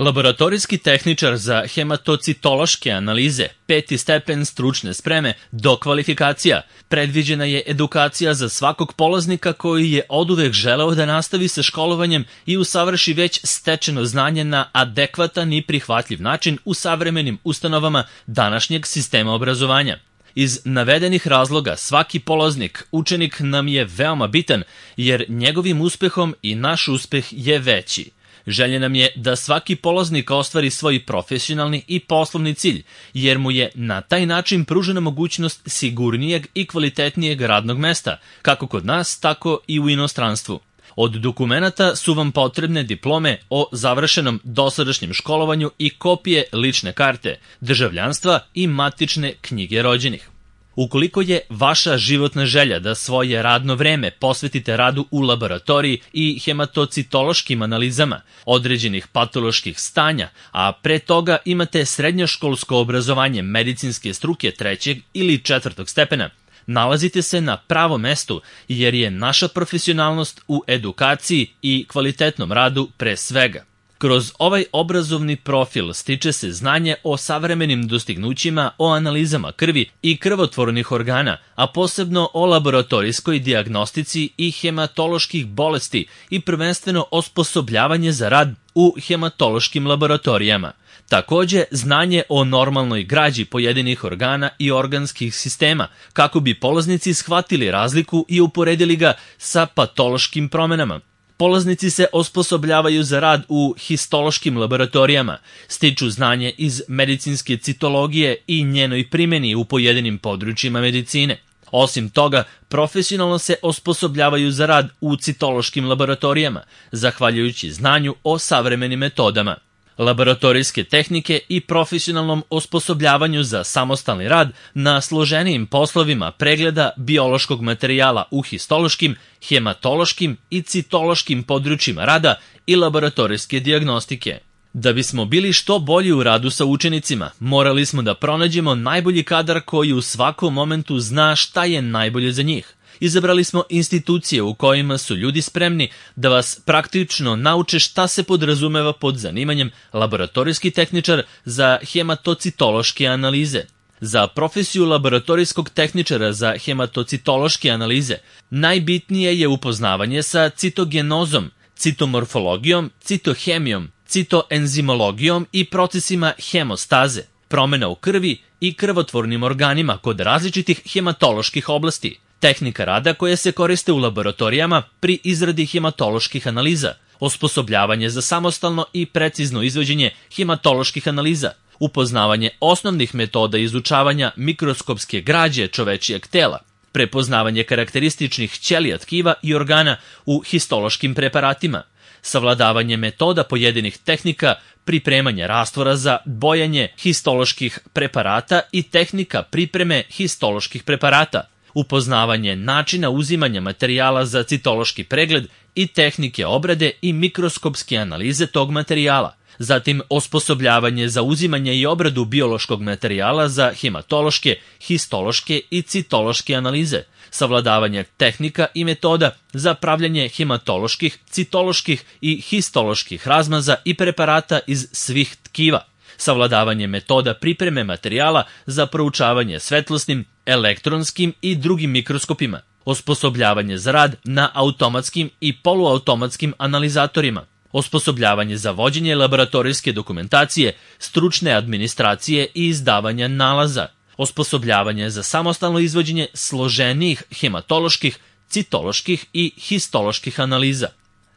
Laboratorijski tehničar za hematocitološke analize, 5. stepen stručne spreme, dokvalifikacija. Predviđena je edukacija za svakog polaznika koji je oduvek želeo da nastavi sa školovanjem i usavrši već stečeno znanje na adekvatan i prihvatljiv način u savremenim ustanovama današnjeg sistema obrazovanja. Iz navedenih razloga svaki polaznik, učenik nam je veoma bitan jer njegovim uspehom i naš uspeh je veći. Želja nam je da svaki polaznik ostvari svoj profesionalni i poslovni cilj, jer mu je na taj način pružena mogućnost sigurnijeg i kvalitetnijeg radnog mesta, kako kod nas, tako i u inostranstvu. Od dokumenata su vam potrebne diplome o završenom dosadašnjem školovanju i kopije lične karte, državljanstva i matične knjige rođenih. Ukoliko je vaša životna želja da svoje radno vreme posvetite radu u laboratoriji i hematocitološkim analizama određenih patoloških stanja, a pre toga imate srednjoškolsko obrazovanje medicinske struke 3. ili 4. stepena, nalazite se na pravom mestu jer je naša profesionalnost u edukaciji i kvalitetnom radu pre svega. Kroz ovaj obrazovni profil stiče se znanje o savremenim dostignućima, o analizama krvi i krvotvornih organa, a posebno o laboratorijskoj dijagnostici i hematoloških bolesti i prvenstveno osposobljavanje za rad u hematološkim laboratorijama. Takođe, znanje o normalnoj građi pojedinih organa i organskih sistema, kako bi polaznici shvatili razliku i uporedili ga sa patološkim promenama. Polaznici se osposobljavaju za rad u histološkim laboratorijama, stiču znanje iz medicinske citologije i njenoj primjeni u pojedinim područjima medicine. Osim toga, profesionalno se osposobljavaju za rad u citološkim laboratorijama, zahvaljujući znanju o savremenim metodama. Laboratorijske tehnike i profesionalnom osposobljavanju za samostalni rad na složenijim poslovima pregleda biološkog materijala u histološkim, hematološkim i citološkim područjima rada i laboratorijske dijagnostike. Da bismo bili što bolji u radu sa učenicima, morali smo da pronađemo najbolji kadar koji u svakom momentu zna šta je najbolje za njih. Izabrali smo institucije u kojima su ljudi spremni da vas praktično nauče šta se podrazumeva pod zanimanjem laboratorijski tehničar za hematocitološke analize. Za profesiju laboratorijskog tehničara za hematocitološke analize najbitnije je upoznavanje sa citogenozom, citomorfologijom, citohemijom, citoenzimologijom i procesima hemostaze, promena u krvi i krvotvornim organima kod različitih hematoloških oblasti. Tehnika rada koja se koriste u laboratorijama pri izradi hematoloških analiza, osposobljavanje za samostalno i precizno izvođenje hematoloških analiza, upoznavanje osnovnih metoda izučavanja mikroskopske građe čovečijeg tela, prepoznavanje karakterističnih ćelija tkiva i organa u histološkim preparatima, savladavanje metoda pojedinih tehnika, pripremanje rastvora za bojanje histoloških preparata i tehnika pripreme histoloških preparata, upoznavanje načina uzimanja materijala za citološki pregled i tehnike obrade i mikroskopske analize tog materijala, zatim osposobljavanje za uzimanje i obradu biološkog materijala za hematološke, histološke i citološke analize, savladavanje tehnika i metoda za pravljanje hematoloških, citoloških i histoloških razmaza i preparata iz svih tkiva, savladavanje metoda pripreme materijala za proučavanje svetlosnim, elektronskim i drugim mikroskopima, osposobljavanje za rad na automatskim i poluautomatskim analizatorima, osposobljavanje za vođenje laboratorijske dokumentacije, stručne administracije i izdavanja nalaza, osposobljavanje za samostalno izvođenje složenijih hematoloških, citoloških i histoloških analiza.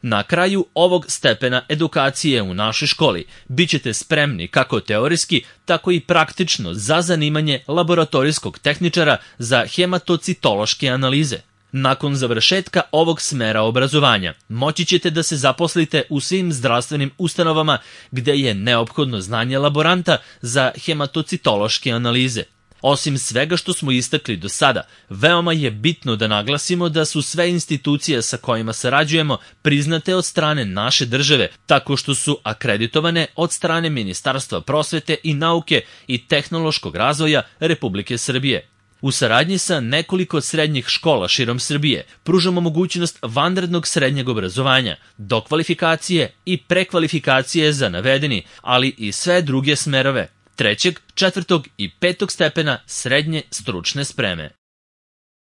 Na kraju ovog stepena edukacije u našoj školi bit ćete spremni kako teorijski, tako i praktično za zanimanje laboratorijskog tehničara za hematocitološke analize. Nakon završetka ovog smera obrazovanja moći ćete da se zaposlite u svim zdravstvenim ustanovama gde je neophodno znanje laboranta za hematocitološke analize. Osim svega što smo istakli do sada, veoma je bitno da naglasimo da su sve institucije sa kojima sarađujemo priznate od strane naše države, tako što su akreditovane od strane Ministarstva prosvete i nauke i tehnološkog razvoja Republike Srbije. U saradnji sa nekoliko srednjih škola širom Srbije pružamo mogućnost vanrednog srednjeg obrazovanja, dokvalifikacije i prekvalifikacije za navedeni, ali i sve druge smerove 3., 4. i 5. stepena srednje stručne spreme.